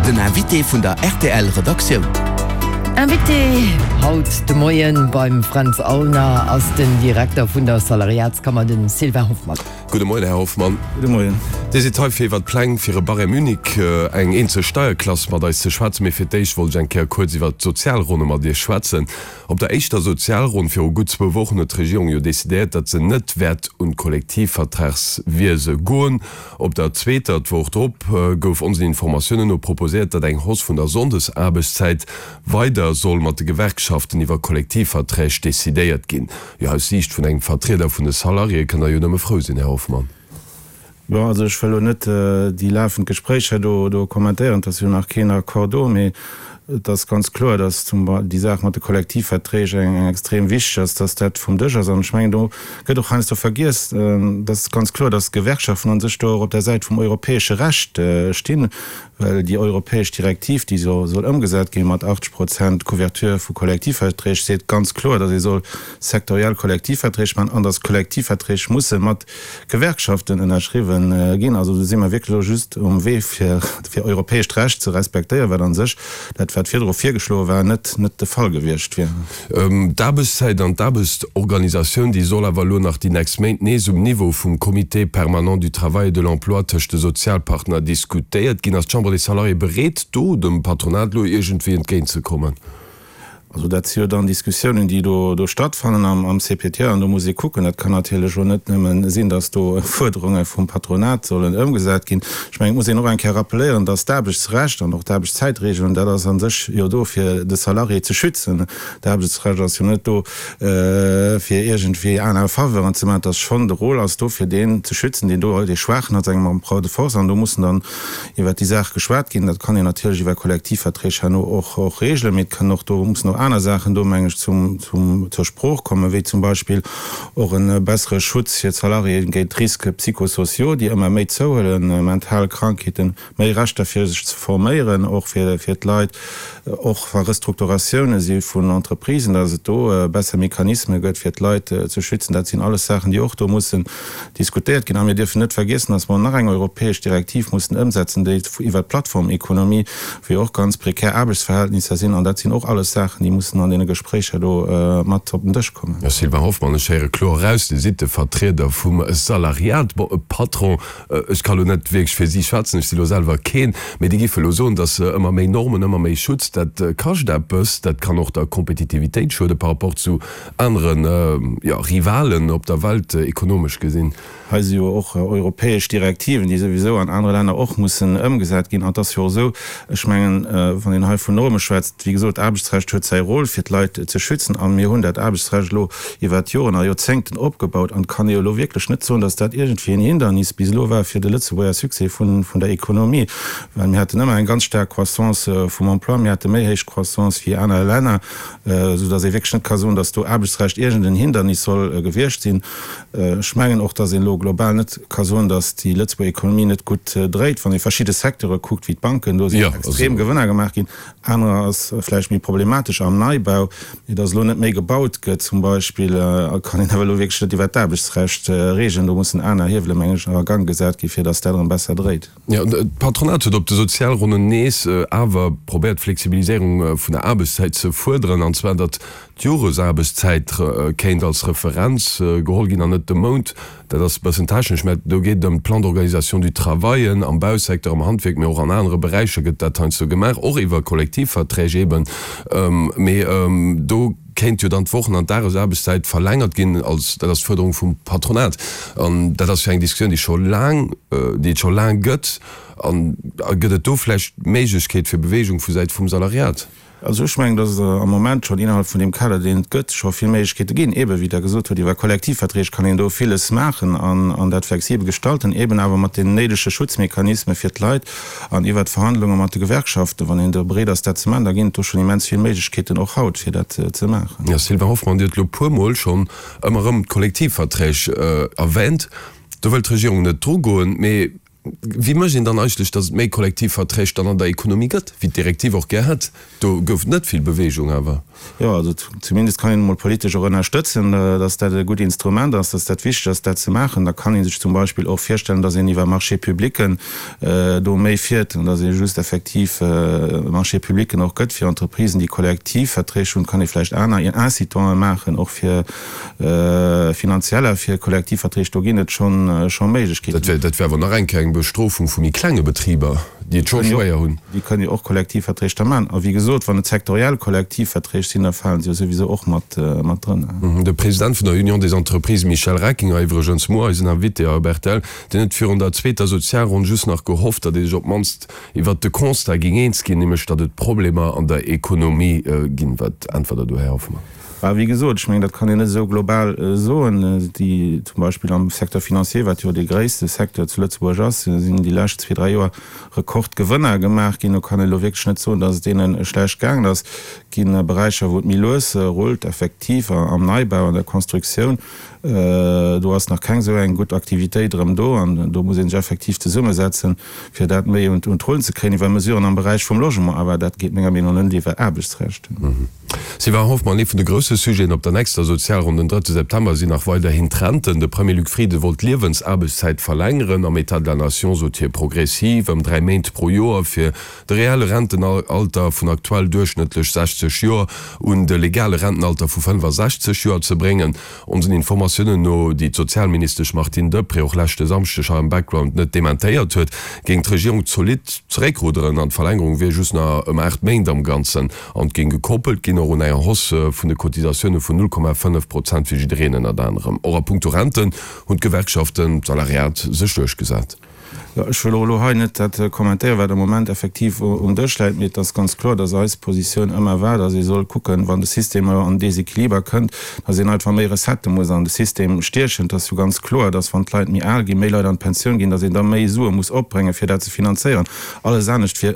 Den Invité vun der rtl Redaktioun. Invité haut de Moien beim Fränz Aulner ass den Direkter vun der Salariatskammer, den Sylvain Hoffmann. Gudde Moien, Här Hoffmann. Gudde Moien. Dir sidd hei fir iwwer d'Pläng fir e Barème unique, eng eenzel Steierklass, mat eis ze schwätzen. Mee fir d'éischt wollt ech eng Kéier kuerz iwwer d'Sozialronne mat Iech schwätzen. Op der éischter Sozialronn viru gutt zwou Wochen huet d'Regierung jo decidéiert, datt se net wäert un d'Kollektivvertragswiese goen. Op der zweeter, d'Woch drop, gouf onsen Informatiounen no proposéiert, datt eng Hausse vun der Sonndesaarbechtszäit weider soll mat de Gewerkschaften iwwer Kollektivverträg decidéiert ginn. Jo, aus Siicht vun engem Vertrieder vun de Salariéë kënnt Der jo nëmme frou sinn, Här Hoffmann. Bon, also ech wëll elo net déi lafend Gespréicher do do kommentéieren, et ass jo nach keen Accord do, mee et ass ganz kloer, datt zum déi Saach mat de Kollektivverträg eng eng extrem wichteg ass, datt dat vum Dësch ass. An ech mengen, do gëtt och heiansdo vergiess, et ass ganz kloer, datt d'Gewerkschaften a sech do och op der Säit vum europäesche Recht stinn, well déi europäesch Direktiv, déi soll ëmgesat gi mat 80 Prozent Couverture vu Kollektivverträg, seet ganz kloer, datt ee soll sektoriell Kollektivverträg maachen an datt Kollektivverträg musse mat Gewerkschaften ënnerschriwwen ginn. Also do si mer wierklech elo just um Wee fir europäescht Recht ze respektéieren, wat a sech dat, wat virdru virgeschloe war, net net de Fall gewiescht wier. D'Aarbechtszäit an d'Aarbechtsorganisatioun, déi soll awer elo nach déi nächst Méint nees um Niveau vum Comité permanent du travail et de l'emploi tëscht de Sozialpartner diskutéiert ginn. Ass d'Chambre des Salariés bereet, do dem Patronat elo iergendwéi entgéintzekommen? Also dat si jo dann Diskussiounen, déi do do stattfannen am am CPTE an do muss ee kucken. Dat kann natierlech elo net nëmme sinn, datt do Fuerderunge vum Patronat sollen ëmgesat ginn. Ech mengen, et muss een och eng Kéier rappeléieren, datt d'Aarbechtsrecht an och d'Aarbechtszäitregelung, dat ass a sech jo do fir de Salarié ze schützen. D'Aarbechtsrecht ass jo net do fir iergendwéi aner Faveuren ze maachen. Et ass schonn, de Rôle ass do fir deen ze schützen, deen do, dee Schwaachen hat, sengem Rapport de force an do mussen dann iwwert déi Saach geschwat ginn. Dat kann een natierlech iwwer Kollektivverträg herno och och regelen, mee et kënnen och do, mussen och aner Saachen do, meng ech, zum, zum, zur Sprooch kommen, wéi zum Beispill och e bessere Schutz fir d'Salariéen géint Risques psychosociaux, déi ëmmer méi zouhuelen, mental Krankheeten, méi Rechter fir sech ze forméieren och fir, fir d'Leit, och wa Restrukturatioune si vun Entreprisen, datt et do besser Mechanisme gëtt fir d'Leit ze schützen. Dat sinn alles Saachen, déi och do mussen diskutéiert ginn. A mir dierfen net vergiessen, dass mer nach eng europäesch Direktiv mussen ëmsetzen, déi iwwert d'Plattformekonomie, wou jo och ganz prekär Aarbechtsverhältnisser sinn. An dat sinn och alles Saachen, déi mussen an deene Gespréicher do mat op den Dësch kommen. Här Sylvain Hoffmann, ech héiere kloer eraus, Dir sidd de Vertrieder vum Salariat. Bon, e Patron, ech ka lo net wierklech fir si schwätzen, ech si lo selwer keen, mee déi géife lo soen, dass ëmmer méi Normen, ëmmer méi Schutz, dat kascht eppes, dat kann och der Kompetitivitéit schuede par rapport zu aneren, jo, Rivalen op der Welt ekonomesch gesinn. Hei si jo och europäesch Direktiven, déi souwisou an anere Länner och mussen ëmgesat ginn. An et ass jo och esou, ech mengen, wann een hei vun Norme schwätzt, wéi gesot, d'Aarbechtsrecht huet säi Rôle, fir d'Leit ze schützen. A mir hunn dat Aarbechtsrecht elo iwwert Joren a Joerzéngten opgebaut. An et kann ee jo elo wierklech net soen, datt dat iergendwéi en Hindernis bis elo war fir de Lëtzebuerger Succès vun der Ekonomie, well mir haten ëmmer eng ganz staark Croissance vum Emploi, mir hate méi héich Croissance wéi aner Länner. Esou dass ee wierklech net ka soen, dass do Aarbechtsrecht iergend en Hindernis soll gewiescht sinn. Ech mengen och, dass een elo global net ka soen, dass déi Lëtzebuerger Ekonomie net gutt dréit. Wann ee verschidde Secteure kuckt, wéi d'Banken, do sinn extrem Gewënner gemaach ginn. Anerer ass vläicht méi problematesch am Neibau, mee dass elo net méi gebaut gëtt zum Beispill, kann een awer elo wierklech net iwwert d'Aarbechtsrecht reegelen. Do mussen aner Hiewele meng ech a Gang gesat gi fir dass dat erëm besser dréit. Jo, d'Patronat huet op de Sozialronnen nees awer probéiert, d'Flexibiliséierung vun der Aarbechtszäit ze fuerderen, an zwar datt d'Joresaarbechtszäit kéint als Referenz geholl ginn an net de Mount. Dat ass e bëssen technesch, mä do geet et ëm d'Plan d'organisation du travail am Bausecteur, am Handwierk, mee och an anere Beräicher gëtt dat heiansdo gemaach, och iwwer Kollektivverträg eeben. Mee do. Kéint jo dann d'Wochen an d'Dagesaarbechtszäit verlängert ginn, als, dat ass d'Fuerderung vum Patronat. An dat ass jo eng Diskussioun, déi scho laang, déi et scho laang gëtt. An gëtt et do vläicht Méiglechkeet fir Bewegung vu Säit vum Salariat? Also ech mengen, dass et am Moment schonn innerhalb vun deem Kader, deen et gëtt, scho vill Méiglechkeete ginn. Eeben, wéi Der gesot hutt, iwwer Kollektivverträg kann een do villes maachen an dat flexibel gestalten, eeben awer mat deenen néidege Schutzmechanisme fir d'Leit. An iwwert d'Verhandlunge mat de Gewerkschaften, wann een do bereet ass, dat ze maachen, da ginn et do schonn immens vill Méiglechkeeten, och haut, fir dat ze maachen. Jo, Sylvain Hoffmann, Dir hutt elo e puermol schonn ëmmer erëm d'Kollektivverträg erwähnt. Do wëllt d'Regierung net drugoen, mee. Wéi mécht een dann eigentlech, datt et méi Kollektivverträg dann an der Ekonomie gëtt, wéi d'Direktiv och gär hätt? Do gouf et net vill Beweegung awer. Jo, also zumindest kann een emol politesch och ënnerstëtzen, datt dat e gutt Instrument ass, datt dat wichteg ass, dat ze maachen. Da kann ee sech zum Beispill och virstellen, datt een iwwer Marchés-publicken do méi fiert an datt ee just effektiv Marchés-publicken och gëtt fir Entreprisen, déi Kollektivverträg hunn. Kann ee vläicht aner Incitanten maachen, och fir finanzieller fir Kollektivverträg. Do ginn et scho Méiglechkeeten. Dat wär awer nach eng Kéier eng Bestrofung vu méi klenge Betriber, déi et scho schwéier hunn. Déi kënnen jo och Kollektivverträg da maachen. A wéi gesot, wann et sektoriell Kollektivverträg sinn, da falen se jo souwisou och mat drënner. De President vun der Union des Entreprises Michel Reckinger, iwwregens muer eisen Invité hei op rtl, deen huet virun der zweeter Sozialronn just nach gehofft, datt ee sech op d'mannst iwwert de Constat géing eens ginn, nämlech datt et Problemer an der Ekonomie ginn. Wat äntwert Der do, Här Hoffmann? Mä wéi gesot, ech mengen, dat kann een net esou global soen. Déi zum Beispill am Secteur financier, wat jo dee gréisste Secteur zu Lëtzebuerg ass, sinn déi lescht zwee, dräi Joer Rekordgewënner gemaach ginn. Do kann een elo wierklech net soen, datt et deene schlecht gaangen ass. Et gi Beräicher, wou et méi lues rullt, effektiv am Neibau, an der Constructioun. Do ass nach keng esou eng gutt Aktivitéit erëm do an do muss ee sech effektiv zesummesetzen, fir dat méi un d'Rullen ze kréien iwwer Mesuren am Beräich vum Logement. Awer dat geet menger Meenung no net iwwer Aarbechtsrecht. Sylvain Hoffmann, Ee vun de grousse Sujeten op der nächster Sozialronn den drëtte September sinn nach weiderhin d'Renten. De Premier Luc Frieden wollt d'Liewensaarbechtszäit verlängeren. Am État de la Nation sot hie progressiv ëm 3 Méint pro Joer fir de reelle Rentenalter vun aktuell duerchschnëttlech 60 Joer un de legale Rentenalter vu 65 Joer ze bréngen. Onsen Informatiounen no, déi d'Sozialministesch Martine Deprez och leschte Samschdeg hei am Background net dementéiert huet, géing d'Regierung zolidd zeréckrudderen an d'Verlängerung wier just nach ëm 8 Méint am Ganzen an géing gekoppelt ginn och un enger Hausse vun de Cotisatioune vun 0,5 Prozent fir jiddereen. Ënnert anerem och a puncto Renten hunn d'Gewerkschaften, d'Salariat sech duerchgesat. Jo, ech wëll och elo hei net dat kommentéieren, wat am Moment effektiv um Dësch läit, mee et ass ganz kloer, dass eis Positioun ëmmer war, dass ee soll kucken, wann de System elo an Desequiliber kënnt, dass een einfach méi Recettë muss an de System stiechen. Et ass jo ganz kloer, dass wann d'Leit méi al ginn, méi Leit an d'Pensioun ginn, dass een da méi Sue muss opbréngen, fir dat ze finanzéieren. Alles anescht wier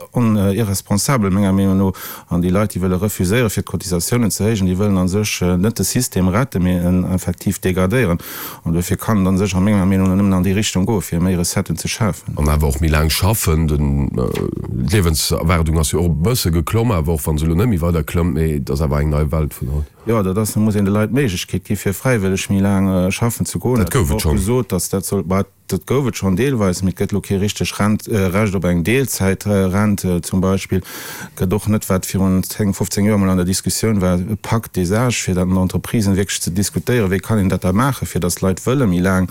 irresponsabel, menger Meenung no. An déi Leit, déi wëlle refuséieren, fir d'Cotisatiounen ze héijen, déi wëllen a sech net de System retten, mee en effektiv degradéieren. An duerfir kann et a sech a menger Meenung no nëmmen an déi Richtung goen, fir méi Recetten ze schafen. An awer och méi laang schaffen. D'Liewenserwaardung ass jo och e bësse geklomm, awer och wa se elo net méi weider klëmmt, mee et ass awer eng nei Welt vun haut. Jo, dat ass, da muss een de Leit d'Méiglechkeet gi fir fräiwëlleg méi laang schaffen ze goen. Dat gouf et schonn. Gesot, datt dat soll. Dat gouf et schonn deelweis, mee et gëtt elo kee richteg Rent, Recht op eng Deelzäitrent zum Beispill. Et gëtt och net, wat virun 10, 15 Joer emol an der Diskussioun war, e Pacte des âges, fir dat an den Entreprisen wierklech ze diskutéieren, wéi kann een dat da maachen, fir datt d'Leit wëlle méi laang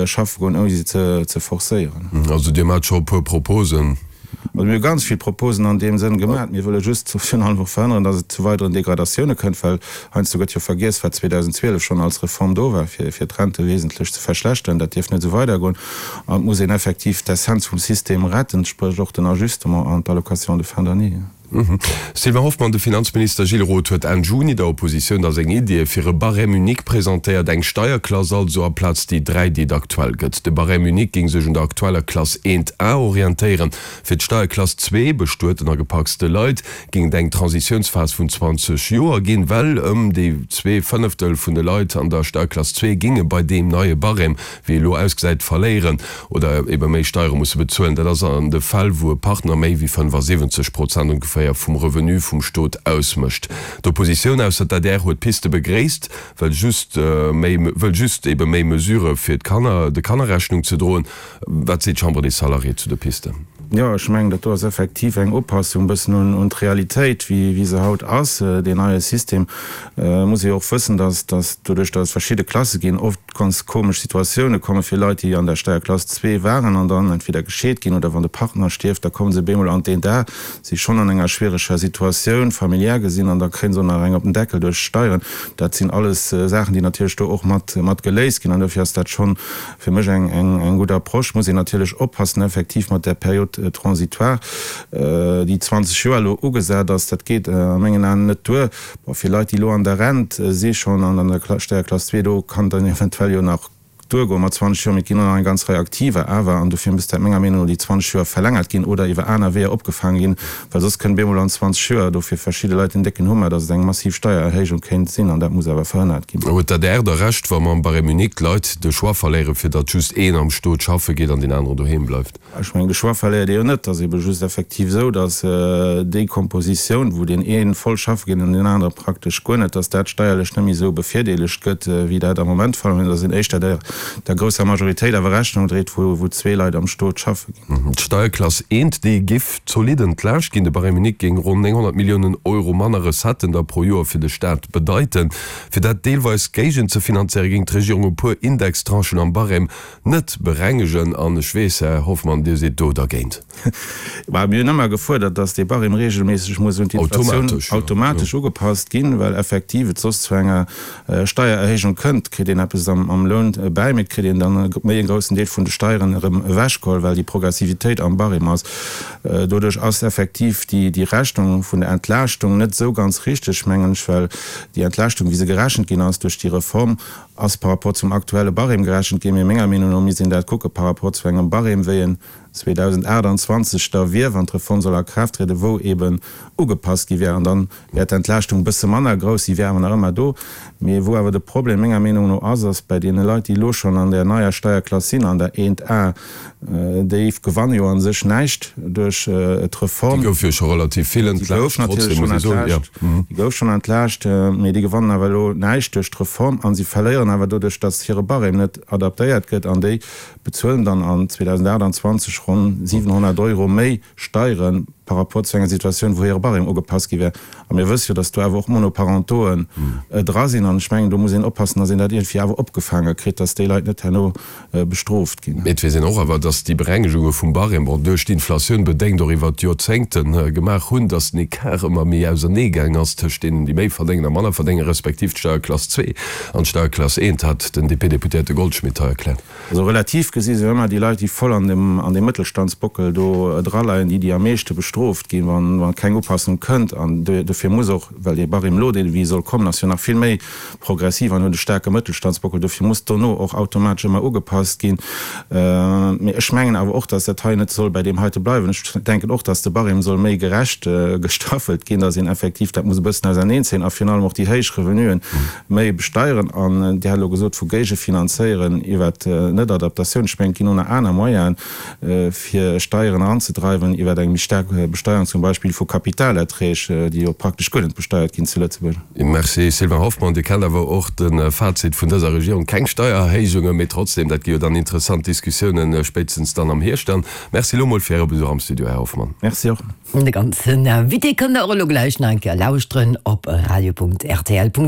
schaffe goen, ouni se ze forcéieren. Also Dir maacht scho e puer Proposen. Also mir hu ganz vill Proposen an deem Sënn gemaat. Mir wëlle just virun allem och verhënneren, datt et zu weideren Degradatioune kënnt, well heiansdo gëtt jo vergiess, wat 2012 schonn als Reform do war, fir fir d'Rente wesentlech ze verschlechteren. Dat dierf net esou weidergoen. An et muss een effektiv d'Essenz vum System retten, spréch och den Ajustement an d'Allocation de fin d'année. Sylvain Hoffmann, De Finanzminister Gilles Roth huet Enn Juni der Oppositioun da seng Iddie fir e Barème unique presentéiert, eng Steierklass also aplaz déi 3, déi et aktuell gëtt. De Barème unique géing sech un der aktueller Klass 1 A orientéieren. Fir d'Steierklass 2, bestueten a gepacste Leit, géing et eng Transitiounsphas vun 20 Joer ginn, well ëm déi zwee Fënneftel vun de Leit an der Steierklass 2 géinge bei deem neie Barème wéi elo ausgesäit, verléieren oder ebe méi Steiere musse bezuelen. Dat ass an de Fäll, wou e Partner méi wéi 75 Prozent ongeféier vum Revenu vum Stot ausmécht. D'Oppositioun, ausser d'ADR, huet d'Piste begréisst, wëll just méi wëll just ebe méi Mesurë fir d'Kanner, de Kanner Rechnung ze droen. Wat seet d'Chambre des Salariés zu de Pisten? Jo, ech mengen, dat do ass effektiv eng Upassung e bëssen un d'Realitéit, wéi se haut ass, deen neie System. Et muss ee jo och wëssen, dass, dass doduerch, dass et verschidde Klasse ginn, oft ganz komesch Situatioune komme fir Leit, déi an der Steierklass zwee waren an dann entweder gescheet ginn oder wann de Partner stierft, da komme se bemol an d'Eent A, si schonn an enger schwiereger Situatioun, familiär gesinn, an da kréie se och nach eng op den Deckel duerch d'Steieren. Dat sinn alles Saachen, déi natierlech do och mat, mat geléist ginn an dofir ass dat schonn fir mech eng, eng, eng gutt Approche. Muss een natierlech oppassen effektiv mat där Période transitoire, déi 20 Joer elo ugesat ass. Dat geet a mengen Aen net duer. Bon, fir Leit, déi elo an der Rent si schonn an an der Steierklass 2, do kann dann eventuell jo nach. duergoen mat 20 Joer, mee et ginn och nach eng ganz Rei Aktiver awer, an dofir misst dat menger Meenung no déi 20 Joer verlängert ginn oder iwwer aner Weeër opgefaange ginn, well soss kënnt bemol an 20 Joer do fir verschidde Leit en décken Hummer, datt et eng massiv Steiererhéijung kéint sinn, an dat muss awer verhënnert ginn. Huet d'ADR da Recht, wa mam Barème unique d'Leit de Choix verléieren, fir datt just een am Stot schaffe geet an deen aneren doheem bleift? Ech mengen, de Choix verléiert ee jo net. Et ass ebe just effektiv esou, datt déi Kompositioun, wou deen ee voll schaffe geet an deen anere praktesch guer net, datt dat steierlech net méi esou bevirdeelegt gëtt, wéi dat am Moment de Fall ass, mä datt een éischter der der grousser Majoritéit awer Rechnung dréit, wou zwee Leit am Stot schaffe ginn. D'Steierklass eent, déi giff zolidd entlaascht ginn. De Barème unique géing ronn 900 Milliounen Euro manner Recetten da pro Joer fir de Staat bedeiten. Fir dat deelweis géigenzefinanzéiere géing d'Regierung e puer Indextranchen am Barème Net berengegen. An ech weess, Här Hoffmann, Dir sidd do dergéint. Bah, mir hunn ëmmer gefuerdert, dass dee Barème regelméisseg muss un d'Inflatioun automatesch ugepasst ginn, well effektiv et soss zu enger Steiererhéijung kënnt. Et kritt een eppes am Loun bäi, mee et kritt een dann méi e groussen Deel vun de Steieren erëm ewechgeholl, well déi Progressivitéit am Barème ass. Doduerch ass effektiv déi Rechnung vun der Entlaaschtung net esou ganz richteg, mengen ech, well déi Entlaaschtung, wéi se gerechent ginn ass duerch déi Reform, ass par rapport zum aktuelle Barème gerechent ginn, mee menger Meenung no misst een dat kucke par rapport zu engem Barème, wéi en 2028 da wier, wann d'Reform soll a Kraaft trieden, wou eeben ugepasst gi wär. An dann wär d'Entlaaschtung e bësse manner grouss, si wär awer nach ëmmer do. Mee wou awer de Problem menger Meenung no ass, ass bei deene Leit, déi elo schonn an där neier Steierklass sinn, an der 1A, Déi gewanne jo a sech näischt duerch d'Reform. Déi gouf jo scho relativ vill entlaascht, trotzdem muss ee soen, jo. Déi gouf schonn entlaascht, mee déi gewannen awer elo näischt duerch d'Reform a si verléieren awer doduerch, datt hire Barème net adaptéiert gëtt. An déi bezuelen dann an 2028 ronn 700 Euro méi Steiere par rapport zu enger Situatioun, wou hire Barème ugepasst gi wär. A mir wësse jo, datt do awer och Monoparentoen dra sinn. An ech mengen, do muss een oppassen, datt een dat iergendwéi awer opgefaange kritt, datt déi Leit net herno bestrooft ginn. Mee et weess een och awer, datt déi Berengegunge vum Barème, bon, duerch d'Inflatioun bedéngt, och iwwert d'Joerzéngte gemaach hunn, datt den Ecart ëmmer méi ausernee gaang ass tëscht deenen, déi méi verdéngen a manner verdéngen, respektiv d'Steierklass 2 an d'Steierklass 1, hat den DP-Deputéierte Goldschmidt hei erkläert. Also relativ gesi sinn ëmmer déi Leit, déi voll an deem, an deem Mëttelstandsbockel do draleien, déi, déi am meeschte bestrooft ginn, wann, wa keng Upassung kënnt. An dofir muss och, well dee Barème elo, dee wéi soll kommen, ass jo nach vill méi progressiv an huet e staarke Mëttelstandsbockel, dofir muss dono och automatesch ëmmer ugepasst ginn. Mee ech mengen awer och, dass dat hei net soll bei deem heite bleiwen. Ech denken och, dass de Barème soll méi gerecht gestaffelt ginn, dass een effektiv dat muss e bëssen auserneenzéien a virun allem och déi héich Revenuen méi besteieren. An Dir hat elo gesot vu géigefinanzéieren iwwert d'Netadaptatioun. Ech mengen, et ginn och nach aner Moyenen, fir Steieren eranzedreiwen iwwer eng méi staark Besteuerung zum Beispill vu Kapitalerträg, déi jo praktesch guer net besteiert ginn zu Lëtzebuerg. Merci Sylvain Hoffmann. Dir kennt awer och de Fazit vun dëser Regierung, keng Steiererhéijungen, mee trotzdem, dat gi jo dann interessant Diskussiounen, spéitstens dann am Hierscht dann. Merci elo mol fir Äre Besuch am Studio, Här Hoffmann. Merci och. De ganzen Invité kënnt der och elo gläich nach eng Kéier lauschteren op radio.rtl.lu.